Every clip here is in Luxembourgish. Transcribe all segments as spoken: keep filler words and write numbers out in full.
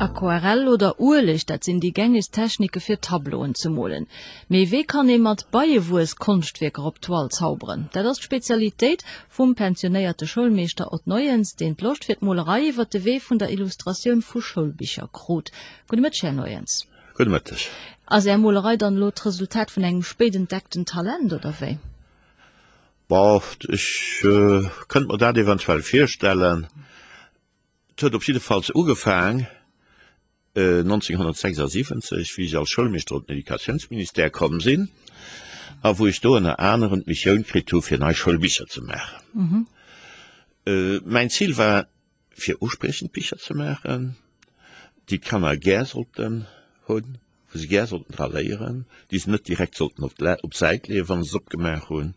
Aquarell oder Ueleg, dat sinn déi gängegst Technike fir Tableauen ze molen. Mee wéi kann ee mat Beiewuess Konschtwierker op d'Toile zauberen? Dat ass d'Spezialitéit vum pensionéierte Schoulmeeschter Ott Neuens, deen d'Loscht fir d'Molerei iwwer de Wee vun der Illustratioun vu Schoulbicher krut. Gudde Mëtteg, Här Neuens. Gudde Mëtteg. Ass Är Molerei dann elo d'Resultat vun engem spéit entdeckten Talent, oder wéi? Bon, ech kënnt mer dat eventuell virstellen. Et huet op jiddefalls ugefaang nonzénghonnertsechsasiwwenzeg, wéi ech als Schoulmeeschter op den Educatiounsministère komm sinn a wou ech do ënner anerem d'Missioun kritt hu fir nei Schoulbicher ze maachen. Mäin Zil war fir uspriechend Bicher ze maachen, déi d'Kanner gär sollten hunn, wou se gär sollten dra léieren, déi se net direkt sollten op d'Säit leeën, wa se se opgemaach hunn,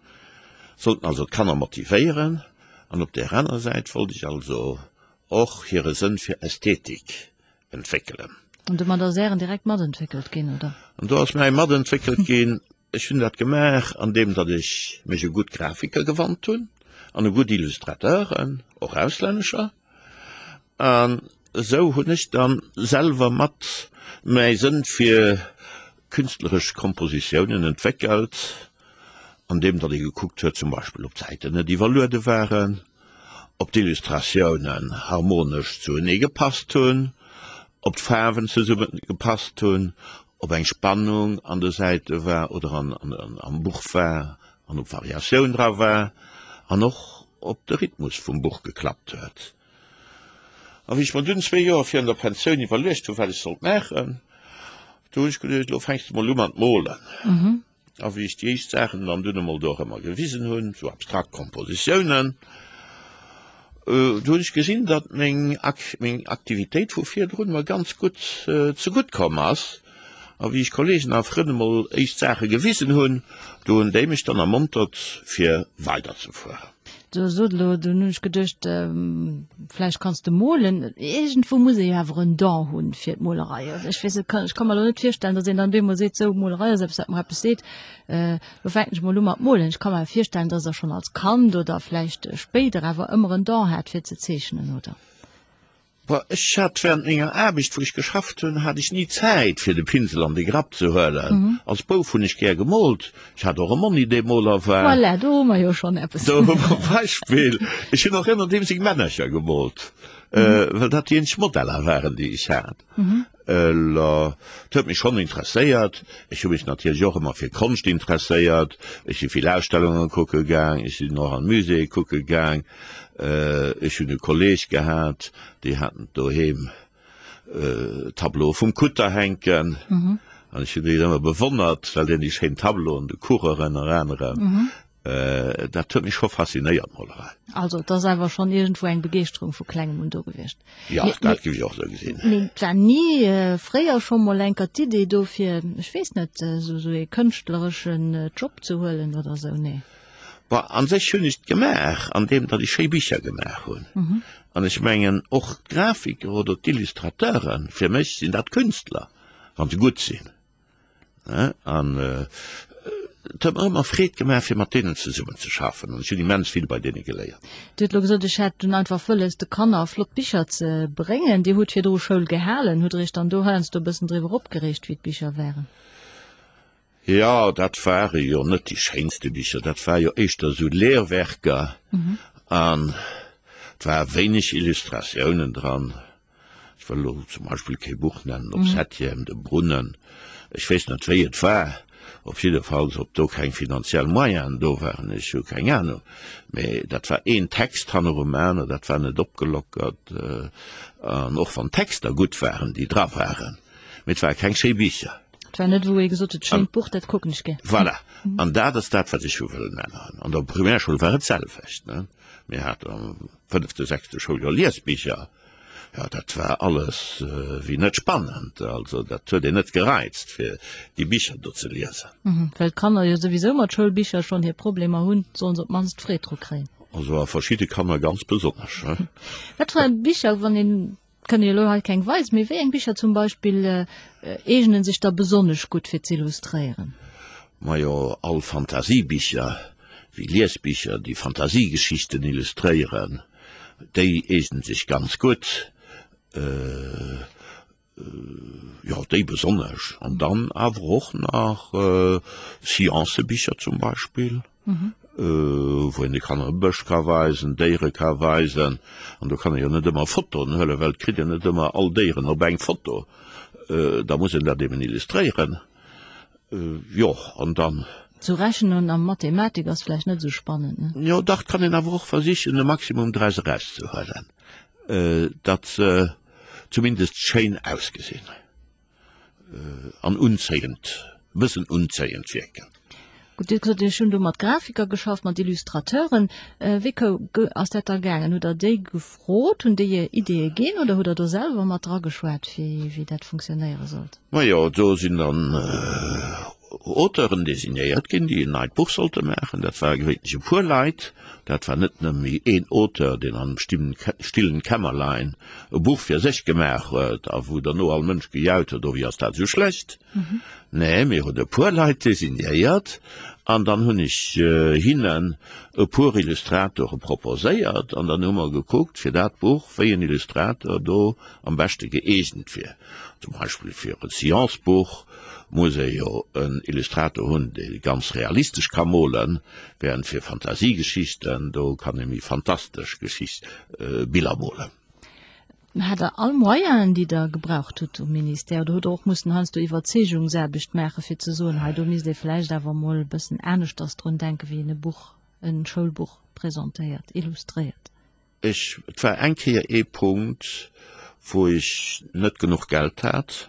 sollten also d'Kanner motivéieren. An op där anerer Säit wollt ech also och hire Sënn fir Ästhetik entwéckelen. An domat ass Ären direkt matentwéckelt ginn, oder? An do ass mäi matentwéckelt ginn. Ech hunn dat gemaach, andeem datt ech mech u gutt Grafiker gewannt hunn an u gutt Illustrateuren, och auslännescher. An esou hunn ech dann selwer mat mäi Sënn fir künstleresch Kompositiounen entwéckelt, andeem datt ee gekuckt huet, zum Beispill ob d'Säiten net iwwerluede waren, ob d'Illustratiounen harmonesch zuenee gepasst hunn, ob d'Faarwen zesumme gepasst hunn, ob eng Spannung an de Säite war oder am Buch war an ob Variatioun dra war an och ob de Rhythmus vum Buch geklappt huet. A wéi ech mer dunn zwee Joer virun der Pensioun iwwerluecht hunn, wat ech sollt maachen, do hunn ech geduecht, elo fänks de mol u mat molen. A wéi ech déi éischt Saachen dann dunn emol do erëmmer gewisen hunn, sou abstrakt Kompositiounen, do hunn ech gesinn, datt meng meng Aktivitéit vu virdrun mer ganz gutt zegutt komm ass. A wéi ech Kollegen a Frënn emol éischt Saache gewisen hunn, do hunn déi mech dann ermontert, fir weiderzefueren. Du sot elo, dunn hunn ech geduecht, vläicht kanns de molen. Iergendwou muss ee jo awer en Don hunn fir d'Molerei. Also ech weess net, ech ka mer elo net virstellen, datt een dann op eemol seet, sou, Molerei ass eppes, wat mer eppes seet, elo fänken ech mol u mat molen. Ech ka mer awer virstellen, datt Der schonn als Kand oder vläicht spéider awer ëmmer en Don hat fir ze zeechnen, oder? Boah, ech hat während menger Aarbecht, wou ech geschafft hunn, hat ech ni Zäit fir de Pinsel an de Grapp ze huelen. Als Bouf hunn ech gär gemoolt. Ech hat och e Monni, dee Moler war. Voilà, do hu mer jo schonn eppes. Do hu mer e Beispill. Ech hunn och ëmmer deem seng Männercher gemoolt, well dat déi eenzeg Modeller waren, déi ech hat. Et huet mech schonn interesséiert. Ech hu mech natierlech och ëmmer fir Konscht interesséiert. Ech si vill Ausstellunge kucke gaang, ech sinn och an d'Muséeë kucke gaang. Ech hunn e Kolleeg gehat, déi haten doheem Tableaue vum Kutter hänken. An ech hunn déi ëmmer bewonnert, well deen déi schéin Tableauen, de Kurer ënner anerem, Dat huet mech scho faszinéiert, d'Molerei. Also et ass awer schonn iergendwou eng Begeeschterung vu klengem un do gewiescht. Jo, dat géif ech och esou gesinn. Mee et war ni fréier scho mol enker d'Idee do fir, ech weess net, esou ee kënschtlereschen Job ze huelen oder esou? Nee. Bon, a sech hunn ech et gemaach, andeem datt ech schéi Bicher gemaach hunn. An ech mengen och d'Grafiker oder d'Illustrateuren, fir mech sinn dat Künstler, wa se gutt sinn. An et huet mer ëmmer Freed gemaach, fir mat deenen zesummen ze schaffen, an ech hunn immens vill bei deene geléiert. Dir hutt elo gesot, ech hätt dunn einfach wëlles, de Kanner flott Bicher ze bréngen. Dir hutt virdru Schoul gehalen. Hutt Der Iech dann do heiansdo e bëssen driwwer opgereegt, wéi d'Bicher waren? Jo, dat ware jo net déi schéinste Bicher, dat war jo éischter esou Lehrwerker an et war wéineg Illustratiounen dran. Ech wëll elo zum Beispill kee Buch nennen, op Septième, de Brunnen, ech weess net wéi et war, op jiddefalls ob do keng finanziell Moyenen do waren, ech hu keng Ahnung, mä dat war een Text hannerum aner, dat war net opgelockert, an och wann d'Texter gutt waren, déi dra waren, mä et ware keng schéi Bicher. Et war net wou ee gesot huet, schéint Buch, dat kucken ech gär. Voilà, an dat ass dat, wat ech hu wëllen änneren. An der Primärschoul war et d'selwecht, ne, mir haten am fënnefte, sechste Schouljoer Liesbicher, Jo, dat war alles wéi net spannend. Also dat huet een net gereizt, fir déi Bicher do ze liesen. Well d'Kanner jo souwisou mat Schoulbicher schonn hir Problemer hunn, sollen se op d'mannst Freed dru kréien. Also a verschidde Kanner ganz besonnesch. Wat fir eng Bicher, wann een, kënne jo elo hei keng weisen, mee wéi eng Bicher zum Beispill eegnen sech da besonnesch gutt fir z'illustréieren? Majo, all Fantasiebicher, wéi Liesbicher, déi Fantasiegeschichten illustréieren. Déi eegnen sech ganz gutt. Jo, déi besonnesch. An dann awer och nach Sciencebicher zum Beispill, wou een de Kanner e Bësch ka weisen, Déiere ka weisen. An do kann ee jo net ëmmer Fotoen huelen, well et kritt een net ëmmer all Déieren op eng Foto. Da muss een dat eben illustréieren. Jo, an dann. Zu rechnen a Mathematik ass vläicht net esou spannend, ne? Jo, dach, et kann een awer och versichen, e Maximum draus erauszehuelen, datt se zumindest schéin ausgesinn an unzéiend, e bëssen unzéiend wierken. Gutt, Dir hutt gesot, Ech hunn do mat Grafiker geschafft, mat Illustrateuren. Wéi ass dat da gaangen? Hutt Der déi gefrot? Hunn déi Iech Ideeë ginn oder hutt Der do selwer mat drageschwat, wéi dat funktionéiere sollt? Majo, do sinn dann Auteuren designéiert ginn, déi en neit Buch sollte maachen. Dat ware gewéinlech e puer Leit. Dat war net nëmme een Auteur, deen an engem stillen Kämmerlein e Buch fir sech gemaach huet a wou derno all Mënsch gejaut huet, Oh, wéi ass dat esou schlecht? Nee, mir hunn e puer Leit designéiert an dann hunn ech hinnen e puer Illustratore proposéiert an dann hu mer gekuckt fir dat Buch, wéi en Illustrator do am beschte gëeegent wier. Zum Beispill fir e Sciencebuch muss ee jo en Illustrator hunn, dee ganz realistesch ka molen, während fir Fantasiegeschichten, do kann ee méi fantastesch Geschicht Biller molen. Hat Der all Moyenen, déi Der gebraucht hutt um Ministère, oder hutt Der och mussen heiansdo Iwwerzeegungsaarbecht maachen, fir ze soen, hei do misst ee vläicht awer emol e bëssen aneschters drun denken, wéi een e Buch, e Schoulbuch presentéiert, illustréiert? Ech, et war eng Kéier ee Punkt, wou ech net genuch Geld hat,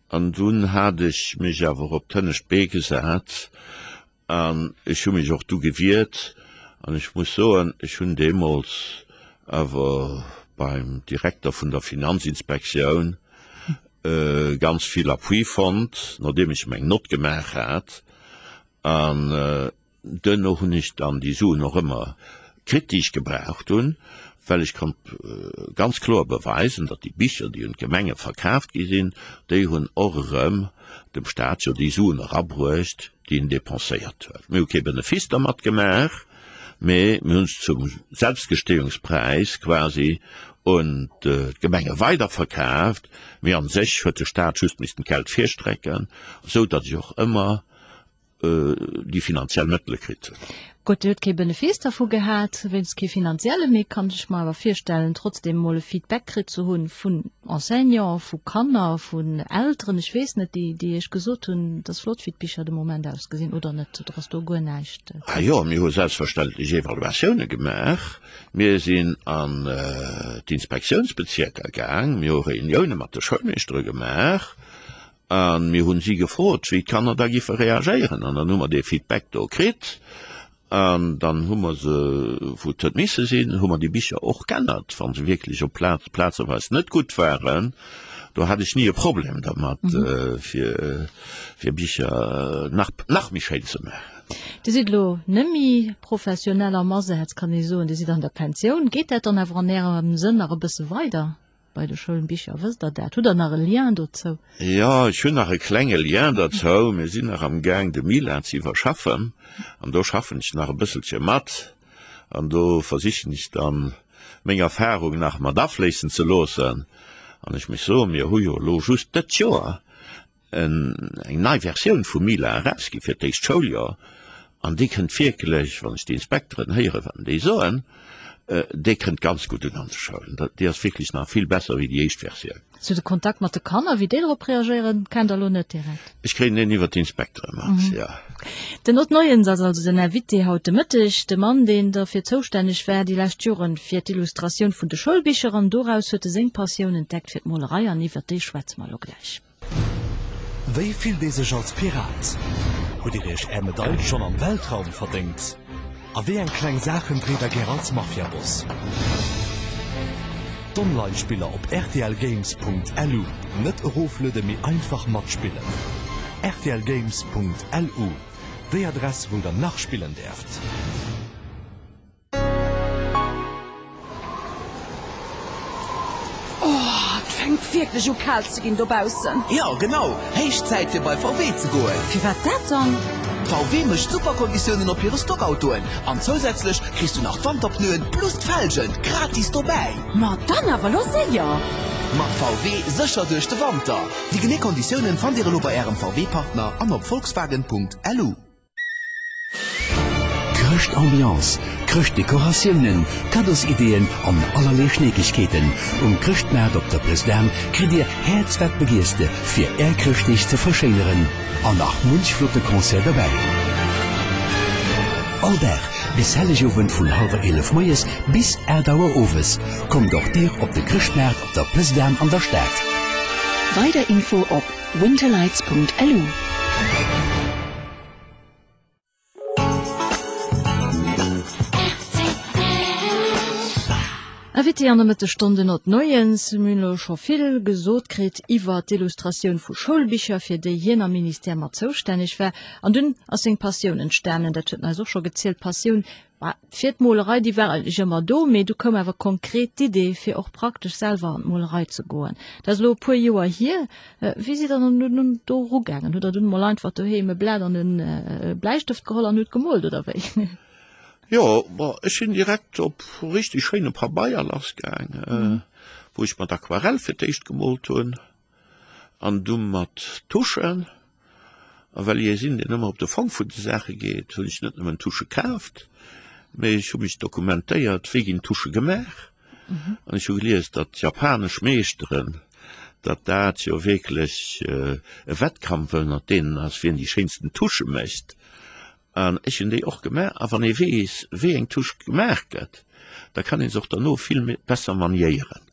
an dunn hat ech mech awer op d'hënnescht Bee gesat an ech hu mech och du gewiert. An ech muss soen, ech hunn deemools awer beim Direkter vun der Finanzinspektioun ganz vill Appui fonnt, nodeem ech meng Nott gemaach hat. An Duerno hunn ech dann déi Suen och ëmmer kritt, déi ech gebraucht hunn, well ech konnt ganz kloer beweisen, datt déi Bicher, déi un d'Gemenge verkaaft gi sinn, déi hunn och erëm dem Staat jo déi Suen erabruecht, déi en dépenséiert huet. Mir hu kee Benefice dermat gemaach, mee mir hunn se zum Selbstgestehungspräis quasi un d'Gemenge weiderverkaaft. Mee a sech huet de Staat just missten d'Geld virstrecken, esou datt ech och ëmmer déi finanziell Mëttele kritt hunn. Gutt, Dir hutt kee Benefice dervu gehat, wéinst kee finanzielle, mee kann ech mer awer virstellen, trotzdem emol e Feedback kritt ze hunn vun Enseignanten, vu Kanner, vun Elteren, ech weess net, déi, déi Iech gesot hunn, et ass flott, wéi d'Bicher de Moment ausgesinn, oder net? Oder ass do guer näischt? Ah jo, mir hu selbstverständlech Evaluatioune gemaach. Mir sinn an d'Inspektiounsbezierker gaang, mir hu Reunioune mat de Schoulmeeschtere gemaach. A mir hunn si gefrot, wéi d'Kanner da giffe reagéieren. An dann hu mer dee Feedback do kritt. An dann hu mer se, wou et huet misse sinn, hu mer déi Bicher och g'ännert, wa se wierklech op Plaz, plazeweis net gutt waren. Do hat ech ni e Problem dermat, fir, fir Bicher nach, nach méi schéin ze maachen. Dir sidd elo net méi professionell am Asaz, kann ee soen. Dir sidd an der Pensioun. Geet dat dann awer an Ärem Sënn nach e bësse weider? Bei de Schoulbicher, wësst Der dat? Hutt Der nach e Lien dozou? Jo, ech hunn nach e klenge Lien dozou. Mir sinn nach am Gaang, de Mila ze iwwerschaffen. An do schaffen ech nach e bësselche mat. An do versichen ech dann, meng Erfahrung nach mat afléissen ze loossen. An ech muss soen, mir hu jo elo just dët Joer eng nei Versioun vum Mila erausgi fir d'éischt Schouljoer. An déi kënnt wierklech, wann ech déi Inspekteren héieren, wat déi soen, déi kënnt ganz gutt un an de Schoulen. Déi ass wierklech nach vill besser wéi déi éischt Versioun. Sou de Kontakt mat de Kanner, wéi déi drop reagéieren, kennt Der elo net direkt? Ech kréien deen iwwer d'Inspektere mat, jo. Den Ott Neuens ass also den Invité haut de Mëtteg, de Mann, deen derfir zoustänneg war déi lescht Joren fir d'Illustratioun vun de Schoulbicher an doraus huet e seng Passioun entdeckt fir d'Molerei an iwwer déi schwätze mer elo gläich. Wéi fillt ee sech als Pirat? Hutt Dir Iech Är Medail schonn am Weltraum verdéngt? A wéi eng kleng Saachen dréit der gär als Mafiaboss? D'Online-Spiller op rtlgames.lu, net eroflueden, mee einfach matspillen. Rtlgames.lu, déi Adress wou der nach spillen däerft. Oh, et fänkt wierklech u kal ze ginn dobaussen. Jo, genau! Héich Zäit fir bei V W ze goen! Firwat dat dann? V W mécht super Konditiounen op hire Stockautoen an zousätzlech kriss du nach d'Wanterpneuen plus d'Felgen gratis dobäi! Ma dann awer lo séier! Mat V W sécher duerch de Wanter! Déi genee Konditiounen fannt Dir elo bei Ärem V W-Partner an op Volkswagen Punkt L U. Chrëschtambiance, Chrëschtdekoratiounen, Kaddosideeën an allerlee Schneekegkeeten. Um Chrëschtmaart op der Place d'Armes kritt Dir Häerz wat begiers de fir Är Chrëschtdeeg ze verschéineren. An nach munch flotte Concert derbäi. All Dag bis Hellegowend vun hallwer eelef moies bis aacht Auer owes. Kommt och Dir op de Chrëschtmaart op der Place d'Armes an der Stad. Weider Info op winterlights Punkt L U. Invité an der Mëttesstonn den Ott Neuens. Mir hunn elo scho vill gesot kritt iwwer d'Illustratioun vu Schoulbicher, fir déi hien am Ministère mat zoustänneg war. An dunn ass seng Passioun entstanen, dat huet en eis och scho gezielt, d'Passioun fir d'Molerei, déi war eigentlech ëmmer do, mee du koum awer konkret d'Idee, fir och praktesch selwer an d'Molerei ze goen. Dat ass elo e puer Joer hier. Wéi sidd Der dann nun do erugaangen? Hutt Der dunn emol einfach doheem e Blat an e Bläistëft geholl an hutt gemoolt, oder wéi? Jo, bon, ech sinn direkt op richtig schéine Pabeier lassgaang, wou ech mat Aquarell fir d'éischt gemoolt hunn an du mat Tuschen. A well ech ee sinn, deen ëmmer op de Fong vun de Saache geet, hunn ech net nëmmen Tusche kaaft, mee ech hu mech dokumentéiert, wéi ginn Tusche gemaach. An ech hu gelies, datt japanesch Meeschteren, datt dat jo wierklech e Wettkampf ënnert deenen ass, wien déi schéinsten Tusche mécht. An ech hunn déi och gemaach. A wann ee weess, wéi eng Touche gemaach gëtt, da kann ee se och derno vill besser maniéieren.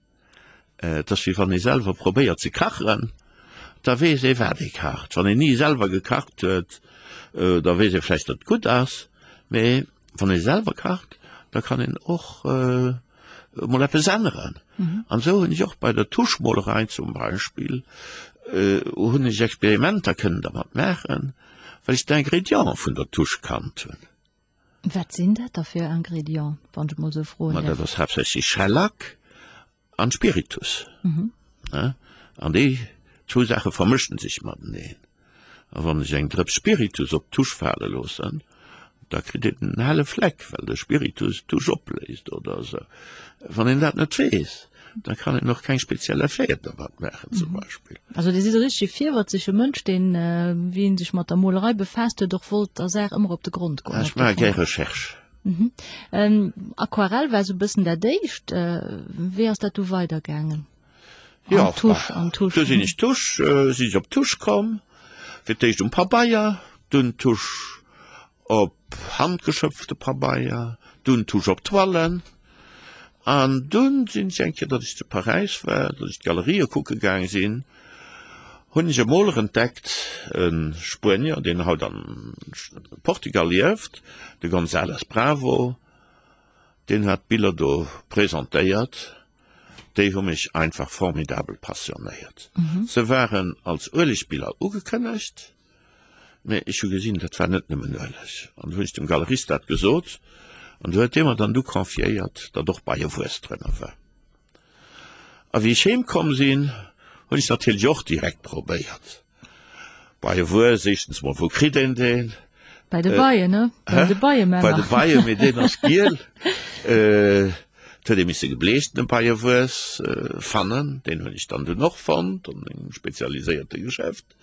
Et ass wéi wann ee selwer probéiert ze kachen, da weess ee wat ee kacht. Wann een ni selwer gekacht huet, da weess ee vläicht, datt et gutt ass, mee wann ee selwer kacht, da kann een och emol eppes änneren. An esou hunn ech och bei der Tuschmolerei zum Beispill, hunn ech Experimenter kënnen dermat maachen, well ech d'Ingrédiente vun der Tusch kannt hunn. Wat sinn dat da fir Ingrédienten, wann ech emol esou froen Ma däerf? dat ass haaptsächlech Schellack an Spiritus. Ne? An déi zwou Saache vermëschen sech mateneen. A wann ech eng Drëps Spiritus op d'Tusch fale loossen, da kritt een en helle Fleck, well de Spiritus d'Tusch opléist oder esou. Wann een dat net weess, da kann een och keng speziell Effeten dermat maachen zum Beispill. Also Dir sidd e richtege virwëtzege Mënsch, deen, wéi en sech mat der Molerei befaasst huet, och wollt der Saach ëmmer op de Grond goen. Ech maache gär Recherche. Aquarell war esou e bëssen dat éischt. Wéi ass dat du weidergaangen? Jo, An Tusch, an Tusch. Du sinn ech Tusch, sinn ech op Tusch komm, fir d'éischt um Pabeier, dunn Tusch op handgeschöpfte Pabeier, dunn Tusch op Toilen. An dunn sinn ech eng Kéier, datt ech zu Paräis war, datt ech d'Galerië kucke gaang sinn, hunn ech e Moler entdeckt, e Spuenier, deen haut an Portugal lieft, de González Bravo, deen hat Biller do presentéiert, déi hu mech einfach formidabel passionéiert. Se waren als Uelegbiller ugekënnegt, mee ech hu gesinn, dat war net nëmmen Ueleg. An du hunn ech dem Galerist dat gesot, an du huet dee mer dann du confiéiert, datt och Beiewuess drënner war. A wéi ech heem komm sinn, hunn ech natierlech och direkt probéiert. Beiewuess, éischtens mol, wou kritt een deen? Bei de Beien, ne? Bei de Beiemänner. Bei de Beien, mee deen ass giel. Et huet ee misse gebleechtene Beiewuess fannen. Deen hunn ech dann dunn och fonnt an engem spezialiséierte Geschäft.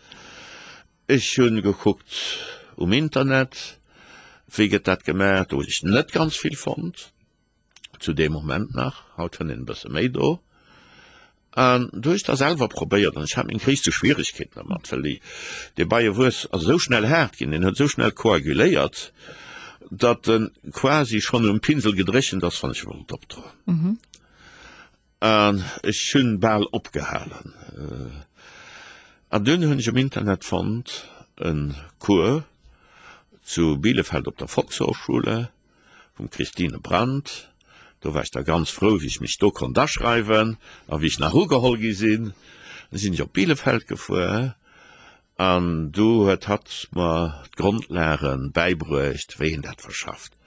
Ech hunn gekuckt um Internet, wéi gëtt dat gemaach. Do hunn ech net ganz vill fonnt, zu deem Moment nach. Haut fënnt een e bësse méi do. An du hu ech da selwer probéiert an ech hat meng gréisste Schwieregkeeten dermat, well déi, dee Beiewuess ass esou schnell haart ginn, deen huet esou schnell koaguléiert, datt en quasi schonn um Pinsel gedréchent ass, wann ech e wollt opdroen. An ech hunn bal opgehalen. An dunn hunn ech um Internet fonnt e Cours zu Bielefeld op der Volkshochschule vum Christine Brandt. Do war ech da ganz frou, wéi ech mech do konnt aschreiwen a wéi ech nach ugeholl gi sinn. Da sinn ech op Bielefeld gefuer an do huet hatt mer d'Grondlage bäibruecht, wéi een dat verschafft.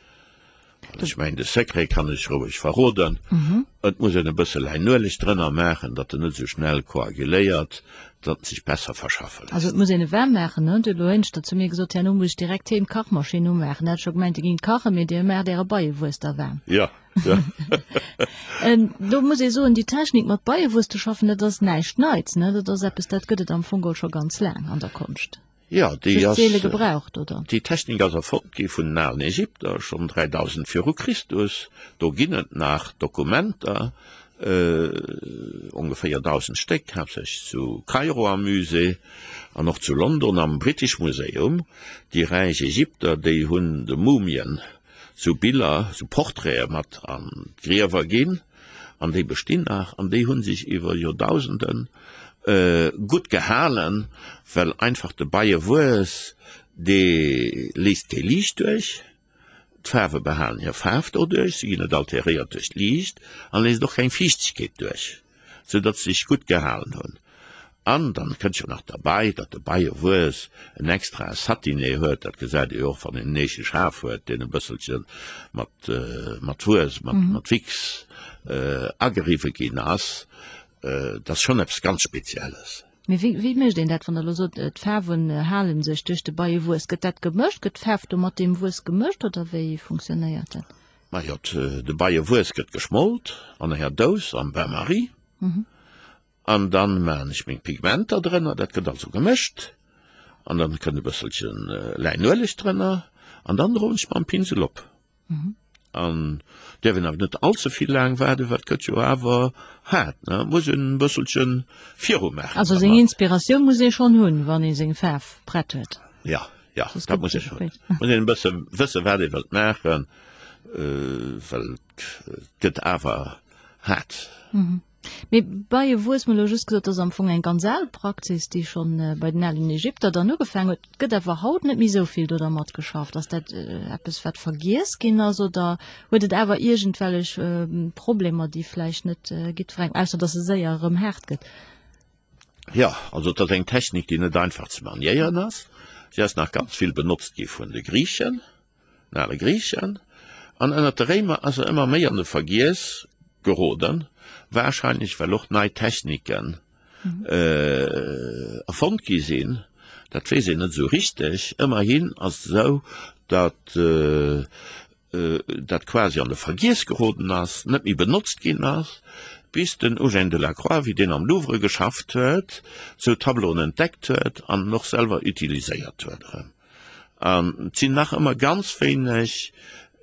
An ech mengen, de Secret kann ech roueg verroden, Et muss een e bësse Läinueleg drënner maachen, datt en net esou schnell koaguléiert, datt en sech besser verschaffe léisst. Also et muss een e waarm maachen, ne? Huet elo éineschter zu mir gesot, herno muss ech direkt heem d'Kachmaschinn umaachen. Hat scho gemengt, Dir gingt kachen, mee Dir maacht Äre Beiewuess da waarm. Jo. Ja. Do muss ee soen, déi Technik mat Beiewuess ze schaffen, dat ass näischt Neits, ne? Dat ass eppes, dat gëtt et am Fong geholl scho ganz laang an der Konscht. Ja, déi Just ass, seele gebraucht, oder? déi Technik ass erfonnt gi vun den alen Ägypter, schonn dräidausend viru Christus. Do ginn et nach Dokumenter, ongeféier dausend Stéck, haaptsächlech zu Kairo am Musée an och zu London am British Museum. Déi räich Ägypter, déi hunn de Mumien sou Biller, sou Portraite mat an d'Griewer ginn, an déi bestinn nach, an déi hu sech iwwer Joerdausende gutt gehalen, well einfach de Beiewuess, dee léisst kee Liicht duerch, d'Faarwe behalen hir Faarf doduerch, se ginn net alteréiert duerch d'Liicht, an léisst och keng Fiichtegkeet duerch, sou datt se sech gutt gehalen hunn. An dann kënnt jo nach derbei, datt de Beiewuess en extrae Satiné huet, dat gesäit ee jo och, wann een en eege Schaf huet, deen e bësselche mat, mat Wuess, mat, mat Wichs ageriwwe ginn ass. Dat ass schonn eppes ganz Spezielles. Mee wéi, wéi mécht een dat, wann Der elo sot, d'Faarwen hale sech duerch de Beiewuess? Gëtt dat gemëscht? Gëtt d'Faarf do mat deem Wuess gemëscht oder wéi funktionéiert dat? Majo, de Beiewuess gëtt geschmolt an enger Dous am Bain-Marie. An dann maachen ech meng Pigmenter drënner, dat gëtt also gemëscht, an dann kënnt e bësselchen Läinueleg drënner, an dann droen ech mam Pinsel op. An däerf een awer net all ze vill laang waarden, well et gëtt jo awer haart, ne, et muss een e bësselchen viru maachen. Also seng Inspiratioun muss ee schonn hunn, wann ee seng Faarf prett huet. Jo, jo, dat muss ee schonn hunn. Muss een e bësse wësse wat ee wëllt maachen, well et gëtt awer haart. Mee Beiewuess, mir hu elo just gesot, dat ass am Fong eng ganz al Praxis, déi scho bei den alen Ägypter dann ugefaangen huet. Et gëtt awer haut net méi esou vill do dermat geschafft. Ass dat eppes, wat vergiess ginn ass oder huet et awer iergendwellech Problemer, déi vläicht net jiddwerengem, ausser datt se séier erëm haart gëtt? Jo, also et ass eng Technik, déi net einfach ze maniéieren ass. Si ass nach ganz vill benotzt gi vun de Griichen, den ale Griichen, an ënnert de Réimer ass se ëmmer méi an de Vergiess geroden, wahrscheinlech well och nei Techniken erfonnt gi sinn, dat weess een net esou richteg. Ëmmerhin ass et esou, datt dat quasi an de Vergiess geroden ass, net méi benotzt ginn ass, bis den Eugène Delacroix, wéi deen am Louvre geschafft huet, esou Tableauen entdeckt huet an en och selwer utiliséiert huet erëm. An et sinn nach ëmmer ganz wéineg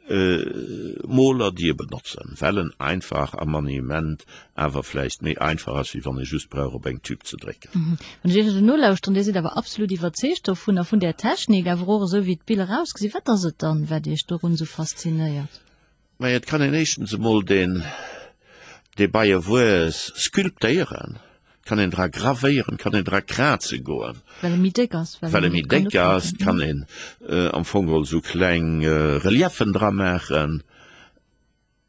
Moler, déi e benotzen, well en einfach am Maniement awer vläicht méi einfach ass, wéi wann ee just brauch op eng Tube ze drécken. Wann ech Iech esou nolauschteren, Dir sidd awer absolut iwwerzeegt dovunner, vun där Technik, awer och esou wéi d'Biller ausgesinn. Wat ass et dann, wat Iech dorun esou faszinéiert? Majo, et kann een éischtens emol deen, dee Beiewuess sculptéieren. Kann een dra gravéieren, kann een dra kraze goen. Well e méi déck ass. Well e méi déck ass, kann een am Fong geholl esou kleng Reliefen dra maachen.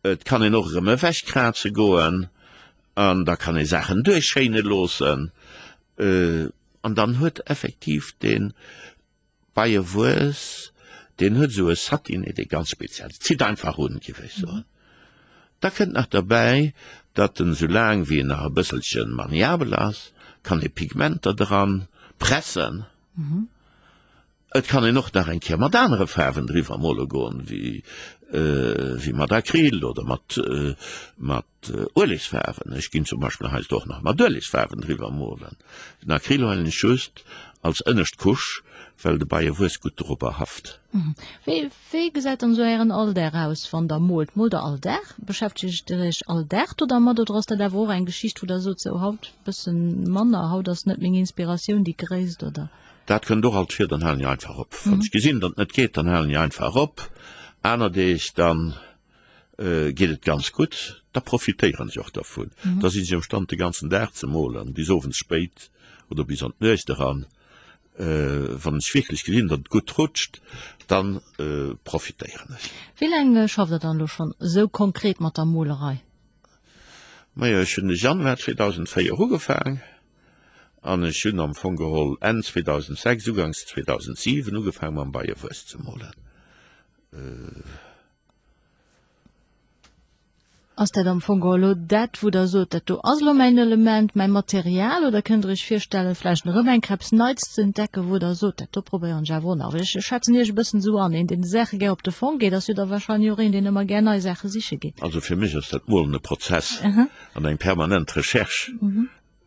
Et kann een och erëm ewechkraze goen an da kann ee Saachen duerchschéine loossen. An dann huet effektiv dee Beiewuess, deen huet esou e Satiné, dee ganz speziell ass. Zitt einfach un, géif ech soen. Da kënnt nach derbäi, datt en soulaang wéi en nach e bësselche maniabel ass, kann ee Pigmenter dran pressen. Et kann een och nach eng Kéier mat anere Faarwen driwwer mole goen, wéi wéi mat Acryl oder mat mat Uelegsfaarwen. Ech ginn zum Beispill heiansdo och nach mat Uelegsfaarwen driwwer molen. Den Acryl huelen ech just als ënnescht Couche, well de Beiewuess gutt dorobber haft. Wéi wéi gesäit dann esou Ären Alldag aus, wann Der moolt? Moolt Der all Dag? Beschäftegt Der Iech all Dag do dermat oder ass dat awer och eng Geschicht, wou Der sot, sou haut bëssen manner, haut ass net meng Inspiratioun déi gréisst, oder? Dat kënnt och alt vir, dann halen ech einfach op. Wann ech gesinn, datt et net geet, dann halen ech einfach op. Aner Deeg dann geet et ganz gutt, da profitéieren ech och dervun. Da sinn ech am Stand de ganzen Dag ze molen, bis owends spéit oder bis an d'Nuecht eran. Wann ech wierklech gesinn, datt et gutt rutscht, dann profitéieren ech. Wéi laang schafft Der dann elo schonn esou konkret mat der Molerei? Majo, ech hunn de Januar zweedausendvéier ugefaang an ech hunn am Fong geholl Enn zweedausendsechs, uganks zweedausendsiewen ugefaang mam Beiewuess ze molen. Ass dat am Fong elo dat, wou Der sot, dat do ass elo mäin Element, mäi Material, oder kënnt Der Iech virstellen, vläicht erëm eng Kéier eppes Neits ze entdecken, wou Der sot, dat do probéieren ech awer och nach? Well ech schätzen Iech e bëssen esou an, een, deen de Saache gär op de Fong geet, ass jo da wahrscheinlech och een, deen ëmmer gär nei Saache siche geet. Also fir mech ass dat Molen e Prozess an eng permanent Recherche.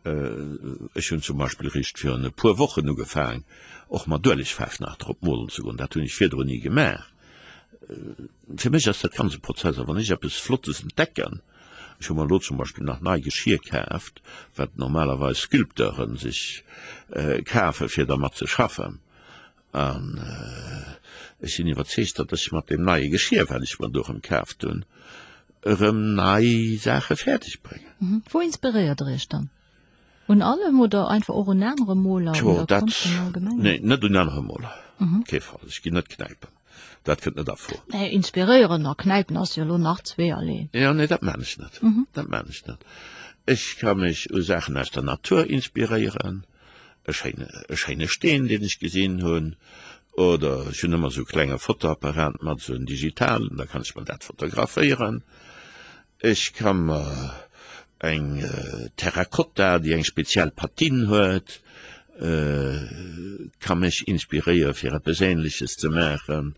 Ech hunn zum Beispill eréischt virun e puer Wochen ugefaang, och mat Uelegfaarf nach drop molen ze goen. Dat hunn ech virdrun ni gemaach. Fir mech ass dat ganz e Prozess. A wann ech eppes Flottes entdecken, ech hu mer elo zum Beispill nach nei Geschir kaaft, wat normalerweis Sculpteure sech kafe fir dermat ze schaffen, an ech sinn iwwerzeegt, datt ech mat deem neie Geschir, wat ech mer do erëm kaaft hunn, erëm nei Saache fäerdeg bréngen. Wou inspiréiert Der Iech dann? Un allem oder einfach och un anere Moler, un der Konscht am Allgemengen? Nee, net un anere Moler, kee Fall. Ech ginn net knäipen, dat kënnt net a Fro. Nee, inspiréieren a knäipen ass jo elo nach zweeërlee. Jo, nee, dat maan ech net, dat maan ech net. Ech ka mech u Saachen aus der Natur inspiréieren, e schéine, e schéine Steen, deen ech gesinn hunn, oder ech hunn ëmmer esou e klenge Fotoapparat mat, esou en digitalen, da kann ech mer dat fotograféieren. Ech ka mer eng Terracotta, déi eng speziell Patine huet, ka mech inspiréiere fir eppes Ähnleches ze maachen.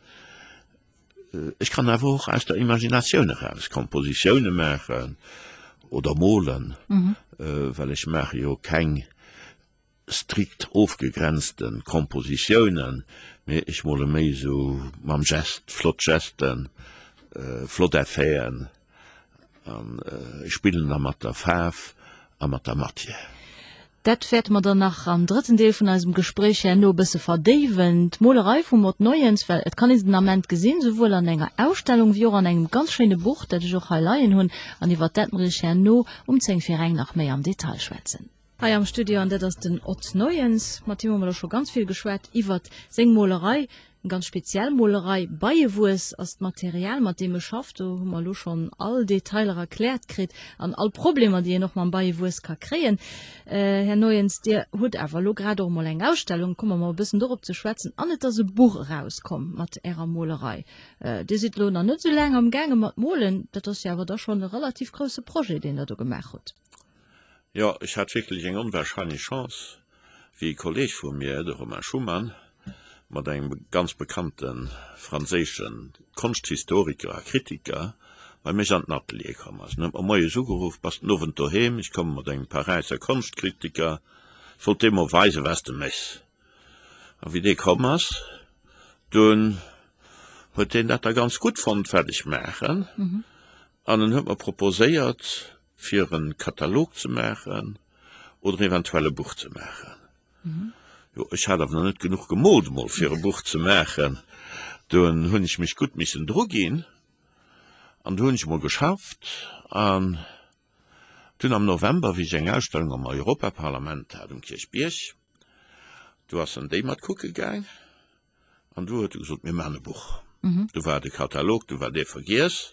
Ech kann awer och aus der Imaginatioun eraus Kompositioune maachen oder molen, well ech maache jo keng strikt ofgegrenzte Kompositiounen, mee ech mole méi esou mam Gest, flott Gesten, flott Effeten an ech spillen da mat der Faarf a mat der Matière. Dat wäerte mer dann nach am drëtten Deel vun eisem Gespréich herno e bësse verdéiwen, d'Molerei vum Mott Neuens, well et kann ee se den Ament gesinn, souwuel an enger Ausstellung wéi och an engem ganz schéine Buch, dat ech och hei leien hunn an iwwert dat mer iech herno um zéng vir eng nach méi am Detail schwätzen. Hei am Studio, an dat ass den Ott Neuens. Mat him hu mer elo scho ganz vill geschwat iwwert seng Molerei, eng ganz speziell Molerei. Beiewuess ass d'Material, mat deem e schafft. Do hu mer elo schonn all Detailer erkläert kritt an all Problemer, déi een och mam Beiewuess ka kréien. Här Neuens, Dir hutt awer elo grad och emol eng Ausstellung, komme mer e bëssen dorop ze schwätzen, an et ass e Buch erauskomm mat Ärer Molerei. Dir sidd elo nach net esou laang amgaange mat molen, dat ass jo awer da schonn e relativ grousse Projet, deen Der do gemaach hutt. Jo, ech hat wierklech eng onwahrscheinlech Chance, wéi e Kolleg vu mir, de Romain Schuman, mat engem ganz bekannte franséische Konschthistoriker a Kritiker bei mech an den Atelier komm ass. En huet mer moies ugeruff, Bass den Owend doheem? Ech komme mat engem Paräisser Konschtkritiker, ech wollt deem mol weisen, wat s de méchs. A wéi dee komm ass, dunn huet deen dat da ganz gutt fonnt, wat ech maachen, an en huet mer proposéiert, fir e Katalog ze maachen oder eventuell e Buch ze maachen. Jo, ech hat awer nach net genuch gemoolt emol fir e Buch ze maachen. Dunn hunn ech mech gutt missen druginn an du hunn ech emol geschafft an dunn am November, wéi ech eng Ausstellung am Europaparlament hat um Kierchbierg, du ass en déi mat kucke gaang. An du huet e gesot, Mir maachen e Buch. Du war de Katalog, du war dee vergiess.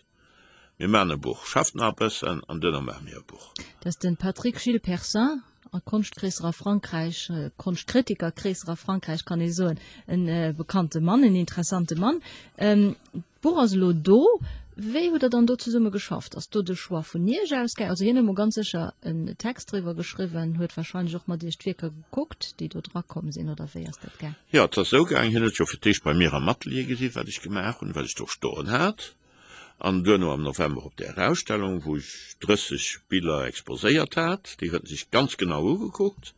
Mir maachen e Buch. Schafft nach e bëssen an duerno maache mir e Buch. Dat ass de Patrick Gilles Percin, a Konschtkreesser a Frankräich, Konschtkritikerkreesser a Frankräich kann ee soen, e bekannte Mann, en interessante Mann. D'Buch ass elo do. Wéi hutt Der dann do zesumme geschafft? Ass do de Choix vun Iech ausgaangen? Also hien huet mol ganz sécher en Text driwwer geschriwwen, huet wahrscheinlech och mat Iech d'Wierker gekuckt, déi do dra komm sinn, oder wéi ass dat gaang? Jo, et ass esou gaang, hien huet jo fir d'éischt bei mir am Atelier gesi wat ech gemaach hunn, wat ech do stoen hat, an duerno am November op där Ausstellung, wou ech drësseg Biller exposéiert hat, déi huet en sech ganz genau ugekuckt,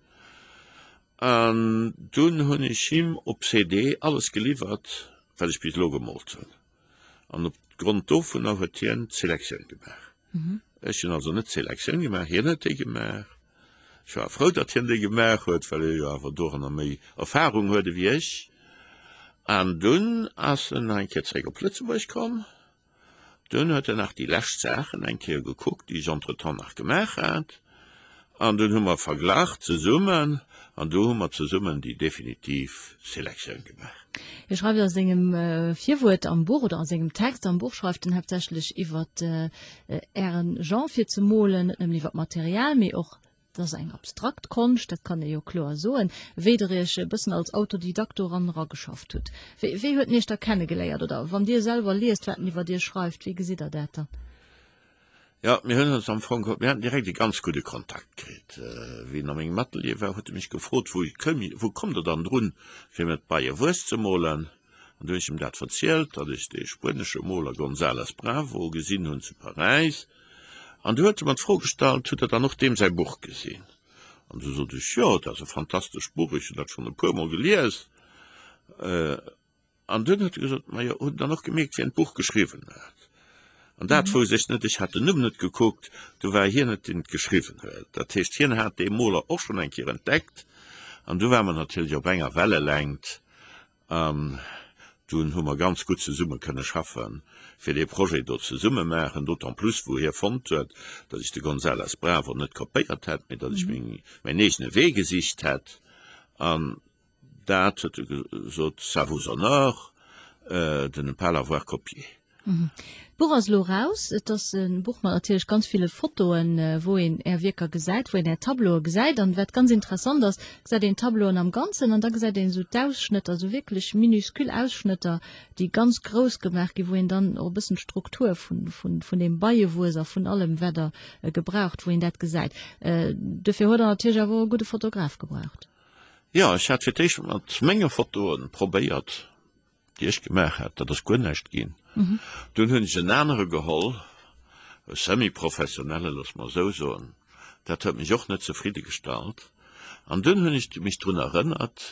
an dunn hunn ech him op C D alles geliwwert, wat ech bis elo gemoolt hunn. An op Grond dovunner huet hien d'Selektioun gemaach. Ech hunn also net d'Selektioun gemaach, hien huet déi gemaach. Ech war frou, datt hien déi gemaach huet, well hie jo awer doranner méi Erfahrung huet ewéi ech. An dunn ass en nach eng Kéier zeréck op Lëtzebuerg komm. Dunn huet en nach déi lescht Saachen eng Kéier gekuckt, déi ech entretemps nach gemaach hat. An dunn hu mer verglach zesummen an du hu mer zesummen déi definitiv Selektioun gemaach. Hie schreift a sengem Virwuert am Buch oder a sengem Text am Buch schreift en haaptsächlech iwwer Ären Genre fir ze molen, net nëmmen iwwer d'Material, mee och, et ass eng abstrakt Konscht, dat kann ee jo kloer soen, wéi Der Iech e bëssen als Autodidakt doran erageschafft hutt. Wéi, wéi huet en Iech da kennegeléiert? Oder wann Dir selwer liest, wat en iwwer Iech schreift, wéi gesitt Der dat dann? Jo, mir hunn ons am Fong, mir haten direkt e ganz gudde Kontakt kritt. Wéi en a mengem Atelier war, huet e mech gefrot, Wou kënnt, wou kommt Der dann drun, fir mir d'Beiewuess ze molen? An du hunn ech em dat verzielt, datt ech dee spuenesche Moler González Bravo gesinn hunn zu Paräis. An du huet e mer d'Fro gestallt, Hutt Der dann och deem säi Buch gesinn? An du sot ech, Jo, dat ass e fantastescht Buch, ech hunn dat schonn e puermol gelies. An dunn huet e gesot, Majo, hutt Der dann och gemierkt, wien d'Buch geschriwwen huet? An dat wousst ech net, ech hat den Numm net gekuckt, du war hien et, deen et geschriwwen huet. Dat heescht, hien hat dee Moler och schonn eng Kéier entdeckt. An du ware mer natierlech op enger Wellelängt an dunn hu mer ganz gutt zesumme kënne schaffen, fir dee Projet do zesumme maachen, d'autant plus wou hie fonnt huet, datt ech de González Bravo net kopéiert hätt, mee datt ech meng, mäin eegene Wee gesicht hätt. An dat huet e gesot, ça vous honore de ne pas l'avoir copié. D'Buch ass elo eraus. Et ass e Buch mat natierlech ganz ville Fotoen, wou een Är Wierker gesäit, wou een Är Tableaue gesäit. An wat ganz interessant ass, gesäit een d'Tableauen am Ganzen an da gesäit een esou d'Ausschnëtter, esou wierklech minuscule Ausschnëtter, déi ganz grouss gemaach ginn, wou een dann och e bëssen d'Struktur vun, vun, vun deem Beiewuess a vun allem, wat Der gebraucht, wou een dat gesäit. Dofir huet Der natierlech awer och e gudde Fotograf gebraucht. Jo, ech hat fir d'éischt mat menge Fotoen probéiert, déi ech gemaach hat. Dat ass guer näischt ginn. Dunn hunn ech en anere geholl, e semi-professionelle, loosse mer esou soen. Dat huet mech och net zefridde gestallt. An dunn hunn ech mech drun erënnert,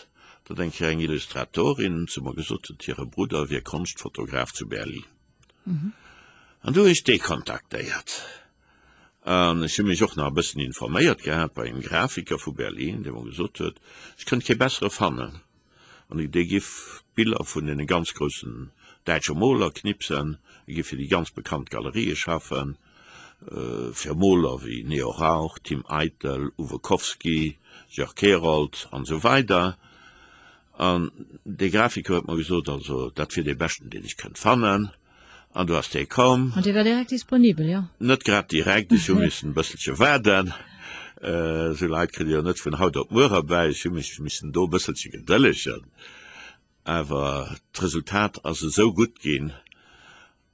datt eng Kéier eng Illustratorin zu mer gesot huet, hire Brudder wier Konschtfotograf zu Berlin. An du hunn ech dee kontaktéiert. An ech hu mech och nach e bëssen informéiert gehat bei engem Grafiker vu Berlin, dee mer gesot huet, ech kënnt kee bessere fannen, an dee giff d'Biller vun deene ganz groussen däitsche Moler knipsen, e giff fir déi ganz bekannt Galerië schaffen, fir Moler wéi Neo Rauch, Tim Eitel, Uwe Kowski, Jörg Herold an esou weider. An dee Grafiker huet mer gesot, also dat wier dee beschten, deen ech kënnt fannen. An du ass dee komm. An dee war direkt disponibel, jo? Net grad direkt, ech hu missen e bësselche waarden. Esou Leit kritt ee jo net vun haut op muer erbäi. Ech hu mech missen do e bësselche gedëllegen. Awer d'Resultat ass esou gutt ginn,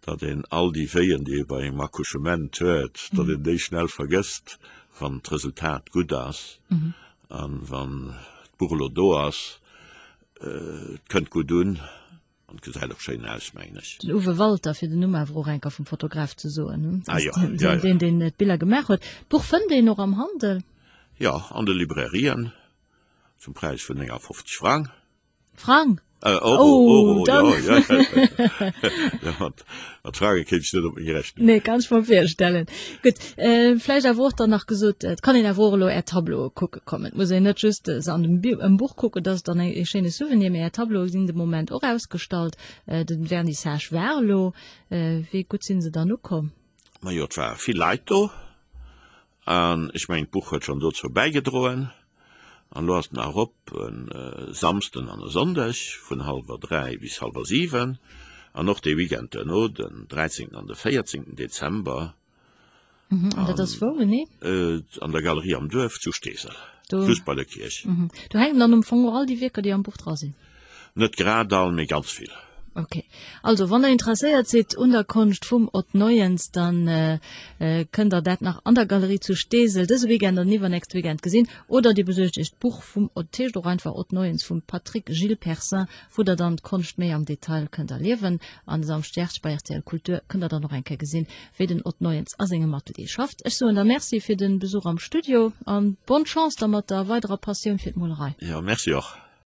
datt een all déi Wéien, déi ee bei engem Accouchement huet, datt een déi schnell vergësst, wann d'Resultat gutt ass. An wann d'Buch elo do ass, et kënnt gutt un. An et gesäit och schéin aus, mengen ech. Den Uwe Walter, fir den Numm awer och eng Kéier vum Fotograf ze soen, Ah jo, jo, jo. deen, deen d'Biller gemaach huet. D'Buch fënnt een och am Handel? Jo, an de Librairien, zum Präis vun néngafofzeg Frang. Frang? Äh, Euro, Oh, Euro, dann. jo, jo, jo. Jo, mat, mat Frange kéint ech net op meng Rechnung. Nee, kann ech mer virstellen. Gutt, vläicht awer och dann nach gesot, et kann een awer och elo Är Tableaue kucke kommen. Et muss een net just se an dem am Buch kucken, dat ass dann e schéine Souvenir, mee Är Tableaue sinn de Moment och ausgestallt. De Vernissage war elo. Wéi gutt si se dann ukomm? Majo, et ware vill Leit do an ech mengen, d'Buch huet schonn dozou bäigedroen. An elo ass et nach erop e Samsden an e Sonndeg vun hallwer dräi bis hallwer siwen an och dee Weekend duerno, den dräizéngten an de véierzéngten Dezember. An dat ass wou genee? An der Galerie am Duerf zu Steesel, just bei der Kierch. Do hänken dann am Fong och all déi Wierker, déi am Buch dra sinn? Net grad all, mee ganz vill. Ok. Also wann der interesséiert sidd un der Konscht vum Ott Neuens, dann kënnt der dat nach an der Galerie zu Steesel dëse Weekend an iwwernächste Weekend gesinn. Oder dir besuergt iech d'Buch vum Ott, heescht och einfach Ott Neuens vum Patrick Gilles Percin, wou der dann d'Konscht méi am Detail kënnt erliewen. An e Samschdeg bei rtl Kultur kënnt der dann och eng Kéier gesinn, wéi den Ott Neuens a sengem Atelier schafft. Ech soen der Merci fir de Besuch am Studio an bonne Chance da mat der weiderer Passioun fir d'Molerei. Jo, merci och.